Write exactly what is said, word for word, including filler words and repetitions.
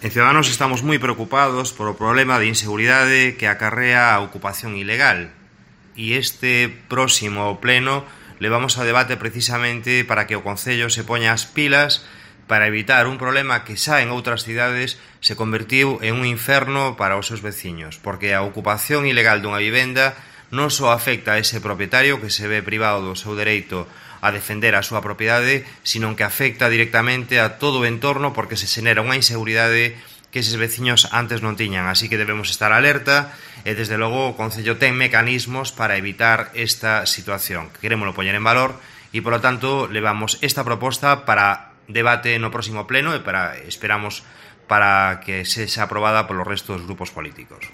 En Ciudadanos estamos moi preocupados por o problema de inseguridade que acarrea a ocupación ilegal, e este próximo pleno levamos ao debate precisamente para que o Concello se poña as pilas para evitar un problema que xa en outras cidades se convertiu en un inferno para os seus veciños, porque a ocupación ilegal dunha vivenda non só afecta a ese propietario que se ve privado do seu dereito a defender a súa propiedade, sino que afecta directamente a todo o entorno porque se xenera unha inseguridade que eses veciños antes non tiñan. Así que debemos estar alerta e, desde logo, o Concello ten mecanismos para evitar esta situación. Querémolo poñer en valor e, polo tanto, levamos esta proposta para debate no próximo pleno e para esperamos para que sexa aprobada polos restos dos grupos políticos.